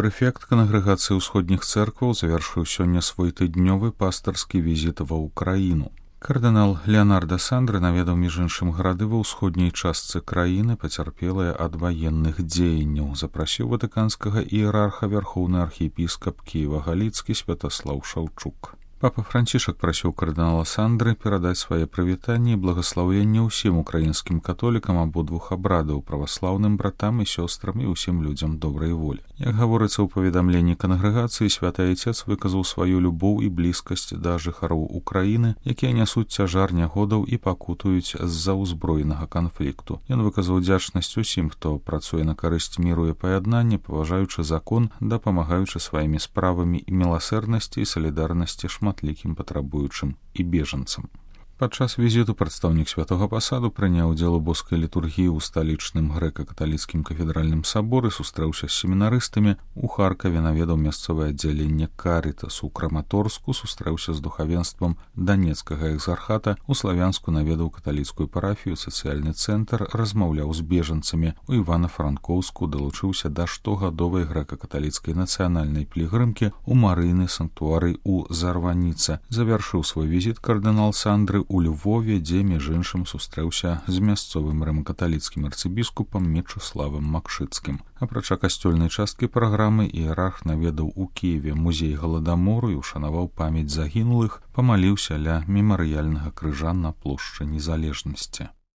прэфект кангрэгацыі ўсходніх цэркваў завяршыў сёння свой тыднёвы пастарскі візіт ва ўкраіну. Кардынал Леонардо Сандре наведаў між іншым гарады ва ўсходняй частцы краіны, пацярпелыя ад ваенных дзеянняў. Запрасіў ватыканскага іерарха вярхоўны архіепіскап Кіева-Галіцкі Святаслаў Шаўчук. Папа Францішак прасіў кардынала Сандры перадаць свае прывітанні і благаслаўленне ўсім украінскім католікам абодвух абрадаў, праваслаўным братам і сёстрам і ўсім людзям добрай волі. Як гаворыцца ў паведамленні кангрэгацыі, святы айцец выказаў сваю любоў і блізкасць да жыхароў Украіны, якія нясуць цяжар нягодаў і пакутуюць з-за ўзброенага канфлікту. Ён выказаў удзячнасць усім, хто працуе на карысць міру і паяднання, паважаючы закон, дапамагаючы сваімі справамі і міласэрнасці і салідарнасці шматлікім патрабуючым і бежанцам. Падчас візіту прадстаўнік святога пасаду прыняў удзел у боскай літургіі ў сталічным грэка-каталіцкім кафедральным саборы, сустрэўся з семінарыстамі, у Харкаве наведаў мясцовае аддзяленне Карытас, у Краматорску сустрэўся з духавенствам Данецкага экзархата, у Славянску наведаў каталіцкую парафію, сацыяльны цэнтр, размаўляў з бежанцамі, у Івана-Франкоўску далучыўся да штогадовай грэка-каталіцкай нацыянальнай пілігрымкі, у Марыйны санктуарый у Зарваніца. Завяршыў свой візіт кардынал Сандры у Львове, дзе між іншым сустрэўся з мясцовым рымакаталіцкім арцыбіскупам Мечыславам Макшыцкім. Апрача касцёльнай часткі праграмы, іерарх наведаў у Кіеве музей Галадамору і ушанаваў памяць загінулых, памаліўся ля мемарыяльнага крыжа на плошчы Незалежнасці.